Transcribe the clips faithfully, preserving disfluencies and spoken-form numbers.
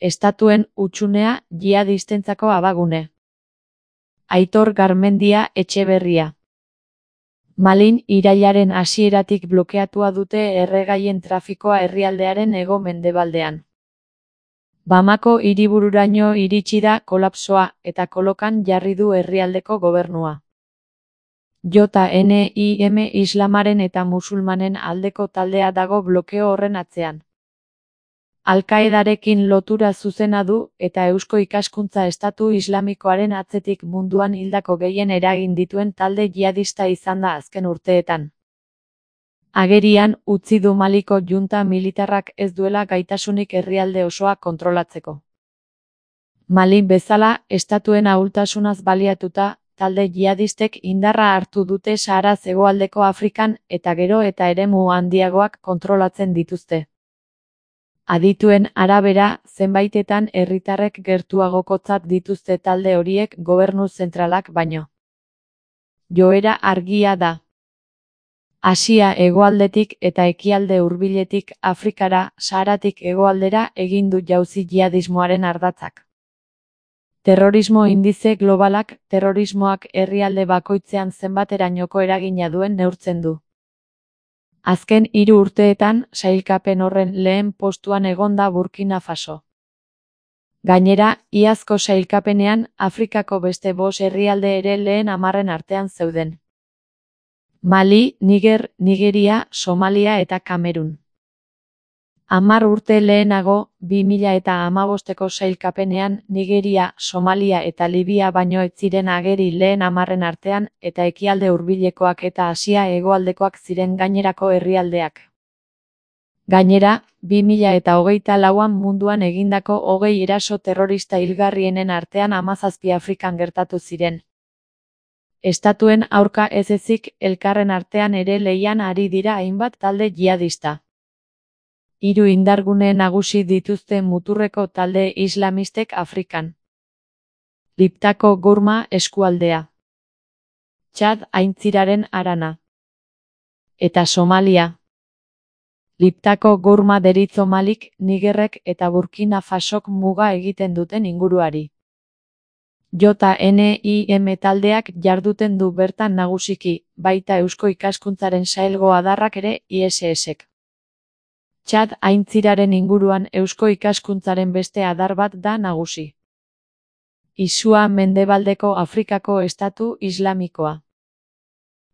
Estatuen hutsunea jihadistentzako abagune. Aitor Garmendia Etxeberria. Malin irailaren hasieratik blokeatua dute erregaien trafikoa herrialdearen hego-mendebaldean. Bamako hiribururaino iritsi da kolapsoa eta kolokan jarri du herrialdeko gobernua. J N I M Islamaren eta musulmanen aldeko taldea dago blokeo horren atzean. Al-Qaedarekin lotura zuzena du eta Eusko Ikaskuntza Estatu Islamikoaren atzetik munduan hildako gehien eragin dituen talde jihadista izan da azken urteetan. Agerian utzi du Maliko junta militarrak ez duela gaitasunik herrialde osoa kontrolatzeko. Mali bezala, estatuen ahultasunaz baliatuta, talde jihadistek indarra hartu dute Saharaz hegoaldeko Afrikan eta gero eta eremu handiagoak kontrolatzen dituzte. Adituen arabera, zenbaitetan herritarrek gertuagokotzat dituzte talde horiek gobernu zentralak baino. Joera argia da. Asia hegoaldetik eta ekialde hurbiletik Afrikara, Saharatik hegoaldera egin du jauzi jihadismoaren ardatzak. Terrorismo indize globalak terrorismoak herrialde bakoitzean zenbaterainoko eragina duen neurtzen du. Azken hiru urteetan, sailkapen horren lehen postuan egon da Burkina Faso. Gainera, iazko sailkapenean, Afrikako beste bost herrialde ere lehen hamarren artean zeuden. Mali, Niger, Nigeria, Somalia eta Kamerun. Hamar urte lehenago, bi mila eta hamabosteko sailkapenean, Nigeria, Somalia eta Libia baino ez ziren ageri lehen hamarren artean, eta ekialde hurbilekoak eta Asia hegoaldekoak ziren gainerako herrialdeak. Gainera, bi mila eta hogeita lauan munduan egindako hogei eraso terrorista hilgarrienen artean hamazazpi Afrikan gertatu ziren. Estatuen aurka ez ezik, elkarren artean ere lehian ari dira hainbat talde jihadista. Hiru indargune nagusi dituzte muturreko talde islamistek Afrikan. Liptako Gourma eskualdea. Txad aintziraren harana. Eta Somalia. Liptako Gourma deritzo Malik, Nigerrek eta Burkina Fasok muga egiten duten inguruari. J N I M taldeak jarduten du bertan nagusiki, baita Eusko Ikaskuntzaren sailgo adarrak ere I S Sek. Txad aintziraren inguruan Eusko Ikaskuntzaren beste adar bat da nagusi. Isua mendebaldeko Afrikako estatu islamikoa.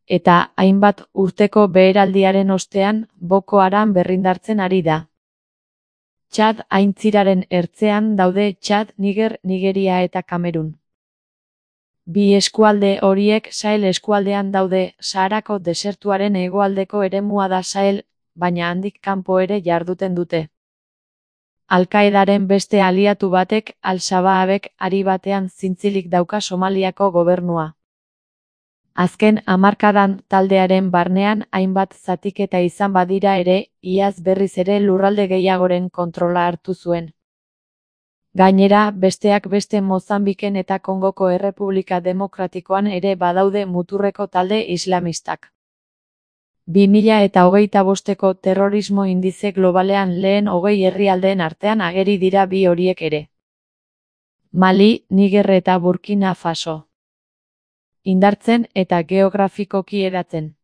Eta hainbat urteko beheraldiaren ostean, Boko Haram berrindartzen ari da. Txad aintziraren ertzean daude Txad, Niger, Nigeria eta Kamerun. Bi eskualde horiek Sahel eskualdean daude, Saharako desertuaren hegoaldeko eremua da Sahel, baina handik kanpo ere jarduten dute. Al-Qaedaren beste aliatu batek, Al-Shabaabek, ari batean zintzilik dauka Somaliako gobernua. Azken hamarkadan taldearen barnean hainbat zatiketa izan badira ere, iaz berriz ere lurralde gehiagoren kontrola hartu zuen. Gainera, besteak beste Mozambiken eta Kongoko Errepublika Demokratikoan ere badaude muturreko talde islamistak. bi mila eta hogeita bosteko terrorismo indize globalean lehen hogei herrialdeen artean ageri dira bi horiek ere. Mali, Niger eta Burkina Faso. Indartzen eta geografikoki hedatzen.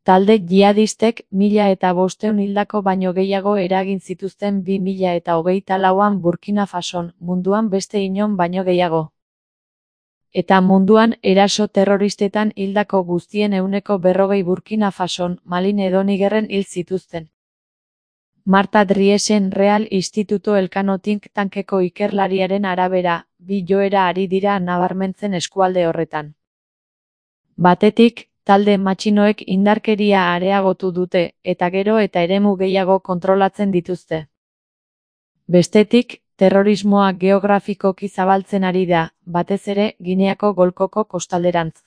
Talde jihadistek mila eta bosteun hildako baino gehiago eragin zituzten bi mila eta hogeita lauan Burkina Fason, munduan beste inon baino gehiago. Eta munduan eraso terroristetan hildako guztien ehuneko berrogei Burkina Fason, Malin edo Nigerren hil zituzten. Marta Driesen Real Instituto Elkano think tankeko ikerlariaren arabera, bi joera ari dira nabarmentzen eskualde horretan. Batetik, talde matxinoek indarkeria areagotu dute, eta gero eta eremu gehiago kontrolatzen dituzte. Bestetik, terrorismoa geografikoki zabaltzen ari da, batez ere Gineako golkoko kostalderantz.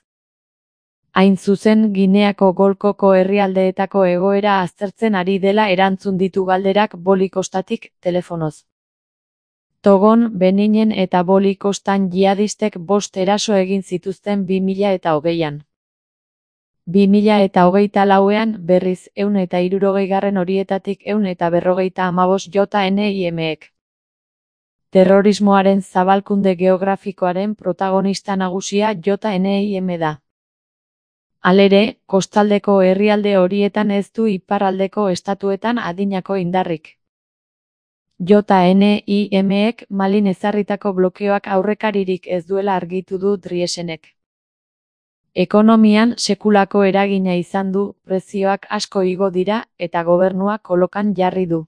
Hain zuzen Gineako golkoko herrialdeetako egoera aztertzen ari dela erantzun ditu galderak Boli kostatik telefonoz. Togon, Beninen eta Boli kostan jihadistek bost eraso egin zituzten bi mila eta hogeian. bi mila eta hogeita lauean berriz ehun eta hirurogeigarren horietatik ehun eta berrogeita hamabost J N I Mek. Terrorismoaren zabalkunde geografikoaren protagonista nagusia J N I M da. Halere, kostaldeko herrialde horietan ez du iparraldeko estatuetan adinako indarrik. J N I Mek Malin ezarritako blokeoak aurrekaririk ez duela argitu du Driesenek. Ekonomian sekulako eragina izan du, prezioak asko igo dira eta gobernua kolokan jarri du.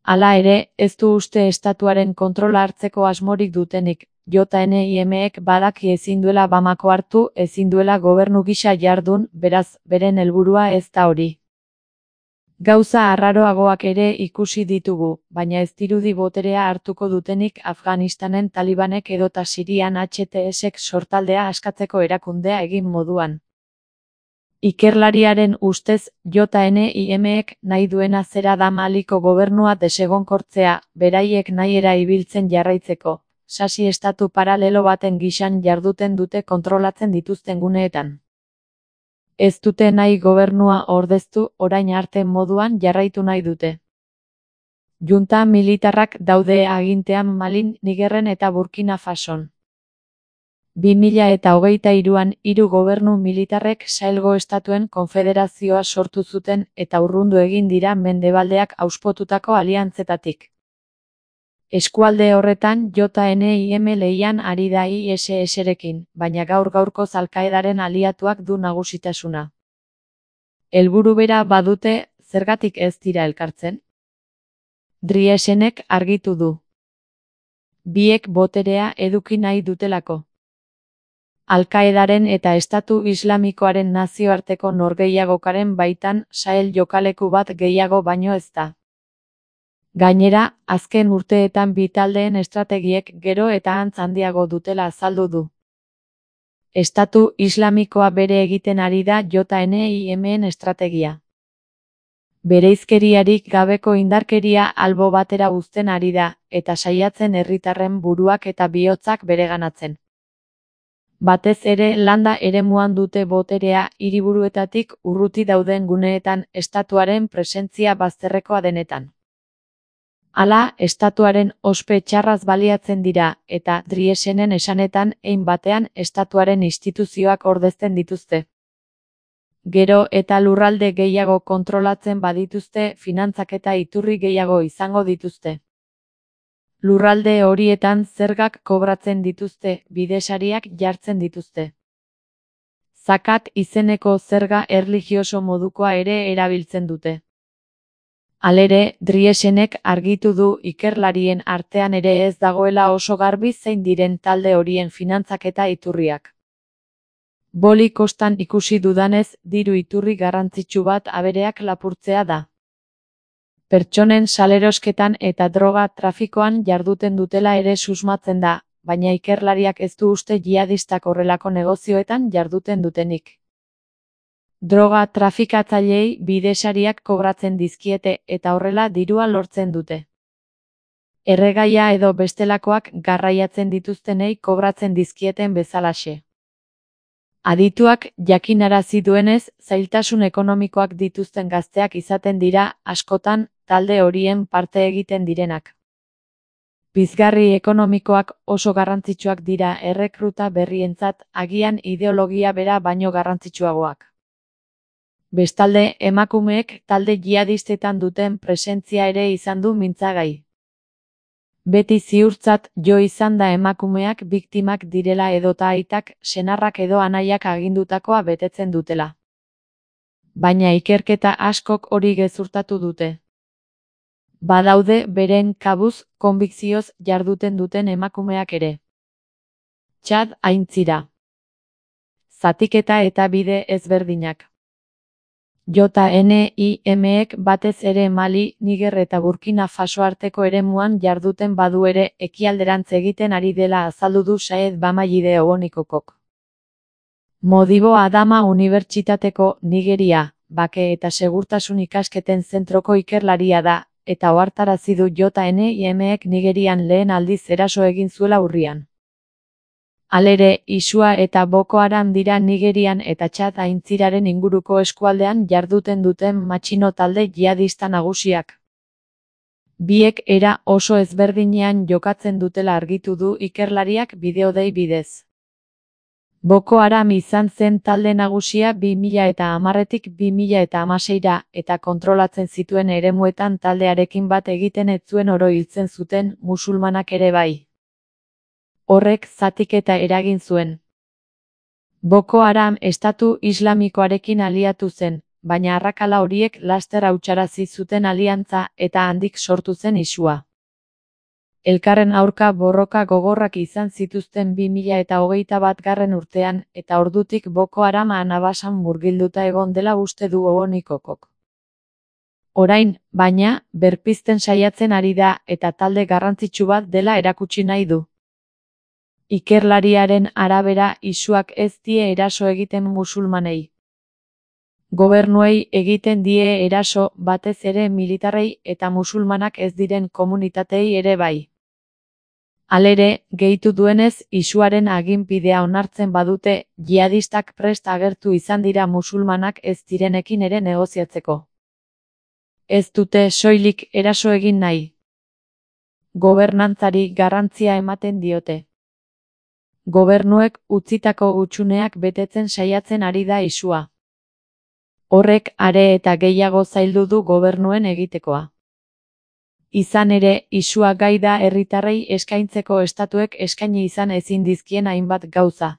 Hala ere, ez du uste estatuaren kontrola hartzeko asmorik dutenik. J N I Mek badaki ezin duela Bamako hartu, ezin duela gobernu gisa jardun, beraz, beren helburua ez da hori. Gauza arraroagoak ere ikusi ditugu, baina ez dirudi boterea hartuko dutenik Afganistanen Talibanek edota Sirian H T Sek sortaldea askatzeko erakundea egin moduan. Ikerlariaren ustez, J N I Mek nahi duena zera da Maliko gobernua desegonkortzea, beraiek nahiera ibiltzen jarraitzeko, sasi estatu paralelo baten gisan jarduten dute kontrolatzen dituzten guneetan. Ez dute nahi gobernua ordeztu, orain arte moduan jarraitu nahi dute. Junta militarrak daude agintean Malin, Nigerren eta Burkina Fason. bi mila eta hogeita hiruan hiru gobernu militarrek Sahelgo estatuen konfederazioa sortu zuten eta urrundu egin dira mendebaldeak auspotutako aliantzetatik. Eskualde horretan J N I M lehian ari da I S S-rekin, baina gaur gaurkoz Al-Qaedaren aliatuak du nagusitasuna. Helburu bera badute, zergatik ez dira elkartzen? Driesenek argitu du. Biek boterea eduki nahi dutelako. Al-Qaedaren eta Estatu Islamikoaren nazioarteko norgehiagokaren baitan Sahel jokaleku bat gehiago baino ez da. Gainera, azken urteetan bi taldeen estrategiek gero eta antz handiago dutela azaldu du. Estatu Islamikoa bere egiten ari da J N I Men estrategia. Bereizkeriarik gabeko indarkeria albo batera uzten ari da, eta saiatzen herritarren buruak eta bihotzak bereganatzen. Batez ere landa eremuan dute boterea, hiriburuetatik urruti dauden guneetan estatuaren presentzia bazterrekoa denetan. Hala, estatuaren ospe txarraz baliatzen dira, eta Driesenen esanetan hein batean estatuaren instituzioak ordezten dituzte. Gero eta lurralde gehiago kontrolatzen badituzte, finantzak eta iturri gehiago izango dituzte. Lurralde horietan zergak kobratzen dituzte, bidesariak jartzen dituzte. Zakat izeneko zerga erlijioso modukoa ere erabiltzen dute. Halere, Driesenek argitu du ikerlarien artean ere ez dagoela oso garbi zein diren talde horien finantzak eta iturriak. Boli kostan ikusi dudanez, diru iturri garrantzitsu bat abereak lapurtzea da. Pertsonen salerosketan eta droga trafikoan jarduten dutela ere susmatzen da, baina ikerlariak ez du uste jihadistak horrelako negozioetan jarduten dutenik. Droga trafikatzaileei bidesariak kobratzen dizkiete eta horrela dirua lortzen dute. Erregaia edo bestelakoak garraiatzen dituztenei kobratzen dizkieten bezalaxe. Adituak jakinarazi duenez, zailtasun ekonomikoak dituzten gazteak izaten dira, askotan, talde horien parte egiten direnak. Pizgarri ekonomikoak oso garrantzitsuak dira errekruta berrientzat, agian ideologia bera baino garrantzitsuagoak. Bestalde, emakumeek talde jihadistetan duten presentzia ere izan du mintzagai. Beti ziurtzat jo izan da emakumeak biktimak direla edota aitak, senarrak edo anaiak agindutakoa betetzen dutela. Baina ikerketa askok hori gezurtatu dute. Badaude beren kabuz, konbikzioz jarduten duten emakumeak ere. Txad aintzira. Zatiketa eta bide ezberdinak. J N I Mek batez ere Mali, Niger eta Burkina Faso arteko eremuan jarduten badu ere ekialderantz egiten ari dela azaldu du Saed Bamaide Obonikokok. Modibo Adama Unibertsitateko Nigeria, bake eta segurtasun ikasketen zentroko ikerlaria da, eta ohartarazi du J N I Mek Nigerian lehen aldiz eraso egin zuela urrian. Halere, Isua eta Boko Haram dira Nigerian eta Txad aintziraren inguruko eskualdean jarduten duten matxino talde jihadista nagusiak. Biek era oso ezberdinean jokatzen dutela argitu du ikerlariak bideodei bidez. Boko Haram izan zen talde nagusia bi mila eta hamarretik bi mila eta hamaseira eta kontrolatzen zituen eremuetan taldearekin bat egiten ez zuen oro hiltzen zuten musulmanak ere bai. Horrek zatiketa eragin zuen. Boko Haram estatu islamikoarekin aliatu zen, baina arrakala horiek laster hautsarazi zuten aliantza eta handik sortu zen isua. Elkarren aurka borroka gogorrak izan zituzten bi mila eta hogeita batgarren urtean eta ordutik Boko Haram anabasan murgilduta egon dela uste du Oonikokok. Orain, baina, berpizten saiatzen ari da eta talde garrantzitsu bat dela erakutsi nahi du. Ikerlariaren arabera isuak ez die eraso egiten musulmanei. Gobernuei egiten die eraso batez ere militarrei eta musulmanak ez diren komunitatei ere bai. Halere, gehitu duenez, isuaren aginpidea onartzen badute, jihadistak prest agertu izan dira musulmanak ez direnekin ere negoziatzeko. Ez dute soilik eraso egin nahi. Gobernantzari garrantzia ematen diote. Gobernuek utzitako hutsuneak betetzen saiatzen ari da isua. Horrek are eta gehiago zaildu du gobernuen egitekoa. Izan ere, isua gai da herritarrei eskaintzeko estatuek eskaini izan ezin dizkien hainbat gauza.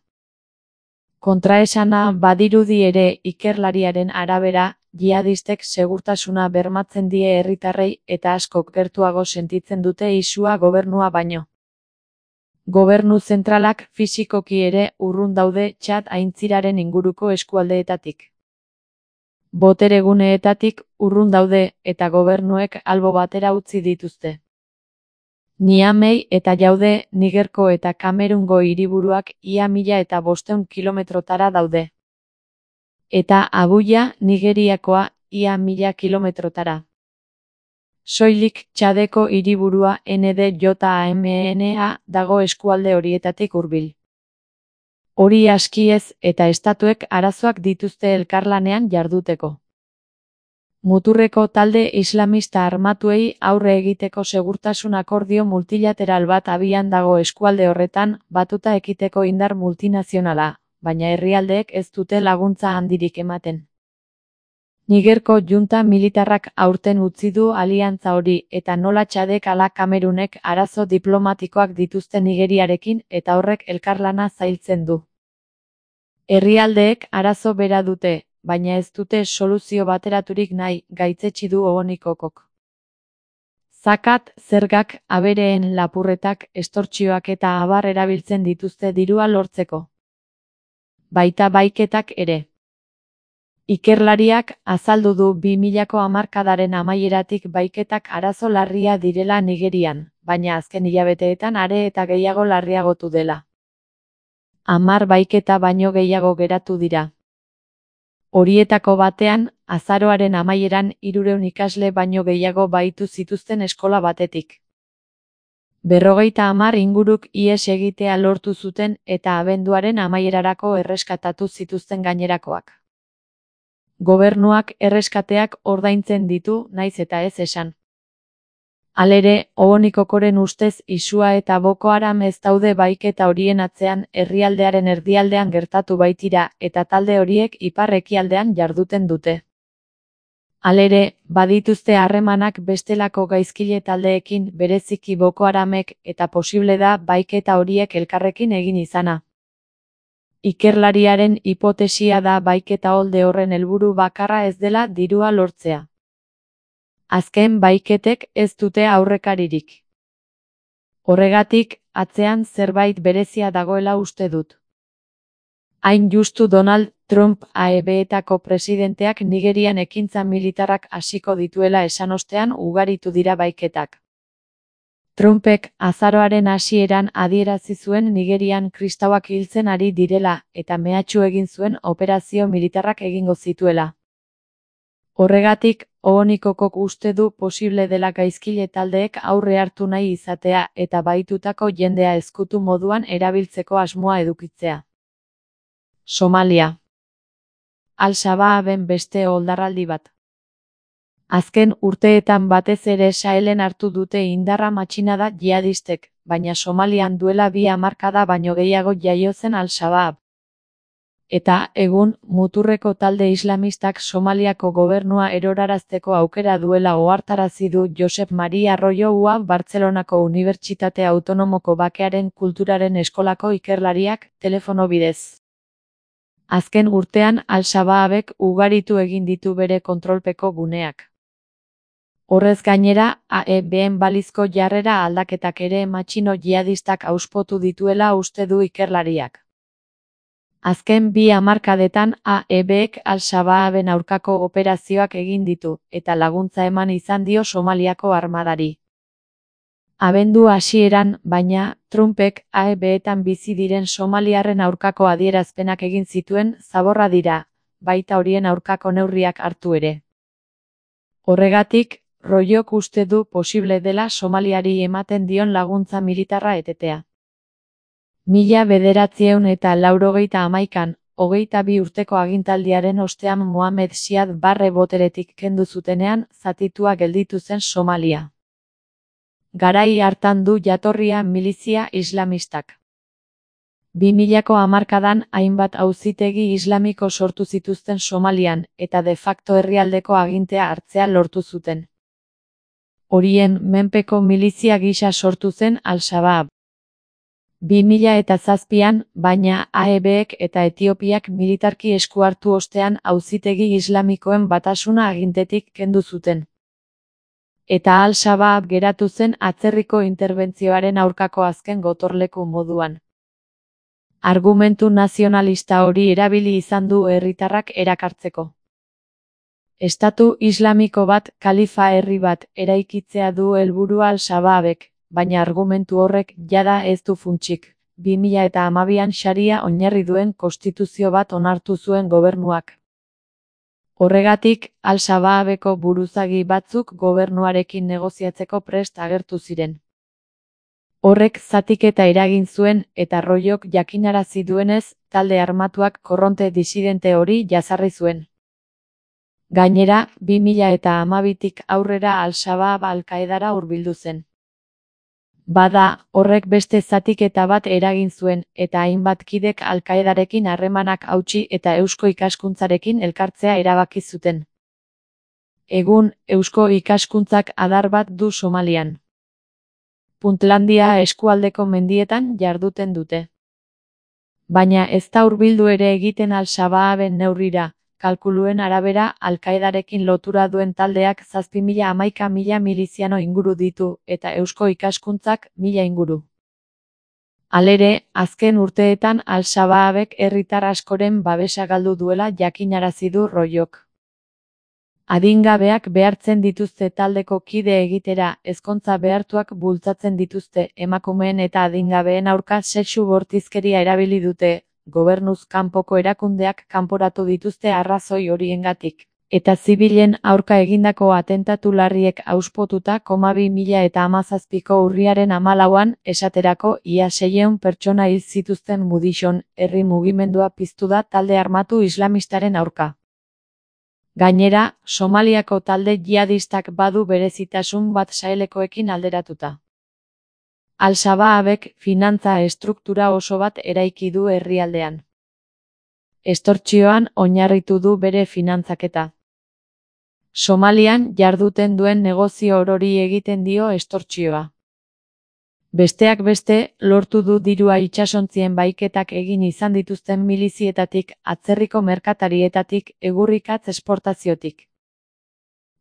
Kontraesana badirudi ere ikerlariaren arabera, jihadistek segurtasuna bermatzen die herritarrei eta askok gertuago sentitzen dute isua gobernua baino. Gobernu zentralak fisikoki ere urrun daude Txad aintziraren inguruko eskualdeetatik. Botereguneetatik urrun daude eta gobernuek albo batera utzi dituzte. Niamey eta Jaude, Nigerko eta Kamerungo hiriburuak ia mila eta bostehun kilometrotara daude. Eta Abuja, Nigeriakoa, ia mila kilometrotara. Soilik Txadeko hiriburua N D J A M E N A dago eskualde horietatik hurbil. Hori askiez eta estatuek arazoak dituzte elkarlanean jarduteko. Muturreko talde islamista armatuei aurre egiteko segurtasun akordio multilateral bat abian dago eskualde horretan, batuta ekiteko indar multinazionala, baina herrialdeek ez dute laguntza handirik ematen. Nigerko junta militarrak aurten utzi du aliantza hori eta nola Txadek ala Kamerunek arazo diplomatikoak dituzte Nigeriarekin eta horrek elkarlana zailtzen du. Herrialdeek arazo bera dute, baina ez dute soluzio bateraturik nahi, gaitzetsi du Oonikokok. Zakat, zergak, abereen lapurretak, estortsioak eta abar erabiltzen dituzte dirua lortzeko. Baita baiketak ere. Ikerlariak azaldu du bi milako hamarkadaren amaieratik baiketak arazo larria direla Nigerian, baina azken hilabeteetan are eta gehiago larriagotu dela. Hamar baiketa baino gehiago geratu dira. Horietako batean, azaroaren amaieran hirurehun ikasle baino gehiago bahitu zituzten eskola batetik. Berrogeita hamar inguruk ihes egitea lortu zuten eta abenduaren amaierarako erreskatatu zituzten gainerakoak. Gobernuak erreskateak ordaintzen ditu, naiz eta ez esan. Halere, Oonikokoren ustez isua eta Boko Haram ez daude baiketa horien atzean herrialdearen erdialdean gertatu baitira eta talde horiek ipar-ekialdean jarduten dute. Halere, badituzte harremanak bestelako gaizkile taldeekin bereziki Boko Haramek eta posible da baiketa horiek elkarrekin egin izana. Ikerlariaren hipotesia da baiketa holde horren helburu bakarra ez dela dirua lortzea. Azken baiketek ez dute aurrekaririk. Horregatik, atzean zerbait berezia dagoela uste dut. Hain justu Donald Trump A E B-etako presidenteak Nigerian ekintza militarrak hasiko dituela esan ostean ugaritu dira baiketak. Trumpek azaroaren hasieran adierazi zuen Nigerian kristauak hiltzen ari direla eta mehatxu egin zuen operazio militarrak egingo zituela. Horregatik, Oonikokok uste du posible dela gaizkile taldeek aurre hartu nahi izatea eta bahitutako jendea ezkutu moduan erabiltzeko asmoa edukitzea. Somalia. Al-Shabaaben beste oldarraldi bat. Azken urteetan batez ere Sahelen hartu dute indarra matxinada jihadistek, baina Somalian duela bi hamarkada baino gehiago jaio zen Al-Shabaab. Eta, egun, muturreko talde islamistak Somaliako gobernua erorarazteko aukera duela ohartarazi du Josep Maria Royo Ua Bartzelonako Unibertsitate Autonomoko Bakearen Kulturaren Eskolako ikerlariak, telefono bidez. Azken urtean Al-Shabaabek ugaritu egin ditu bere kontrolpeko guneak. Horrez gainera, A E B-en balizko jarrera aldaketak ere matxino jihadistak auspotu dituela uste du ikerlariak. Azken bi hamarkadetan A E B-ek Al-Shabaaben aurkako operazioak egin ditu, eta laguntza eman izan dio Somaliako armadari. Abendu hasieran, baina, Trumpek A E B-etan bizi diren somaliarren aurkako adierazpenak egin zituen zaborra dira, baita horien aurkako neurriak hartu ere. Horregatik, Royok uste du posible dela Somaliari ematen dion laguntza militarra etetea. Mila bederatziehun eta laurogeita hamaikan, hogeita bi urteko agintaldiaren ostean Mohamed Siad Barre boteretik kendu zutenean, zatitua gelditu zen Somalia. Garai hartan du jatorria milizia islamistak. Bi milako hamarkadan hainbat auzitegi islamiko sortu zituzten Somalian, eta de facto herrialdeko agintea hartzea lortu zuten. Horien menpeko milizia gisa sortu zen Al-Shabaab. Bi mila eta zazpian, baina A E B-ek eta Etiopiak militarki esku hartu ostean auzitegi islamikoen batasuna agintetik kendu zuten. Eta Al-Shabaab geratu zen atzerriko interbentzioaren aurkako azken gotorleku moduan. Argumentu nazionalista hori erabili izan du herritarrak erakartzeko. Estatu islamiko bat, kalifa herri bat, eraikitzea du helburua Al-Shabaabek, baina argumentu horrek jada ez du funtsik. Bi mila eta hamabian Sharia oinarri duen konstituzio bat onartu zuen gobernuak. Horregatik, Al-Shabaabeko buruzagi batzuk gobernuarekin negoziatzeko prest agertu ziren. Horrek zatiketa eragin zuen, eta Royok jakinarazi duenez, talde armatuak korronte disidente hori jazarri zuen. Gainera, bi mila eta hamabitik aurrera Al-Shabaab Al-Qaedara hurbildu zen. Bada, horrek beste zatiketa bat eragin zuen, eta hainbat kidek Al-Qaedarekin harremanak hautsi eta eusko ikaskuntzarekin elkartzea erabaki zuten. Egun, eusko ikaskuntzak adar bat du Somalian. Puntlandia eskualdeko mendietan jarduten dute. Baina ez da hurbildu ere egiten Al-Shabaaben neurrira, kalkuluen arabera Al-Qaedarekin lotura duen taldeak zazpi mila hamaika mila miliziano inguru ditu, eta eusko ikaskuntzak mila inguru. Halere, azken urteetan Al-Shabaabek herritar askoren babesa galdu duela jakinarazi du Royok. Adingabeak behartzen dituzte taldeko kide egitera, ezkontza behartuak bultzatzen dituzte, emakumeen eta adingabeen aurka sexu bortizkeria erabili dute, gobernuz kanpoko erakundeak kanporatu dituzte arrazoi horiengatik, eta zibilen aurka egindako atentatu larriek auspotuta koma bi mila eta hamazazpiko urriaren hamalauan, esaterako ia seiehun pertsona hil zituzten Mudishon, herri mugimendua piztu da talde armatu islamistaren aurka. Gainera, Somaliako talde jihadistak badu berezitasun bat Sahelekoekin alderatuta. Al-Shabaabek finantza estruktura oso bat eraiki du herrialdean. Estortsioan oinarritu du bere finantzaketa. Somalian jarduten duen negozio orori egiten dio estortsioa. Besteak beste, lortu du dirua itsasontzien baiketak egin izan dituzten milizietatik, atzerriko merkatarietatik, egurrikatz esportaziotik.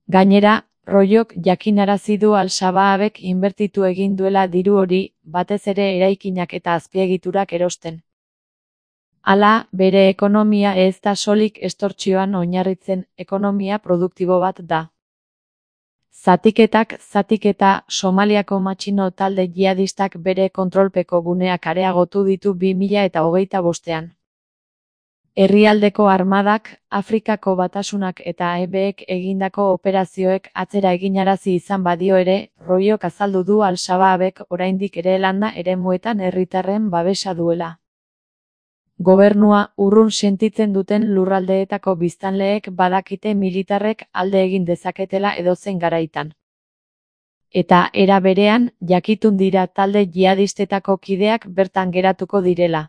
Gainera, Royok jakinarazi du Al-Shabaabek inbertitu egin duela diru hori, batez ere eraikinak eta azpiegiturak erosten. Hala, bere ekonomia ez da solik estortsioan oinarritzen, ekonomia produktibo bat da. Zatiketak zatiketa, Somaliako matxino talde jihadistak bere kontrolpeko guneak areagotu ditu bi mila eta hogeita bostean. Herrialdeko armadak, Afrikako batasunak eta A E B-ek egindako operazioek atzera eginarazi izan badio ere, Royok azaldu du Al-Shabaabek oraindik ere landa eremuetan herritarren babesa duela. Gobernua urrun sentitzen duten lurraldeetako biztanleek badakite militarrek alde egin dezaketela edozein garaitan. Eta era berean, jakitun dira talde jihadistetako kideak bertan geratuko direla.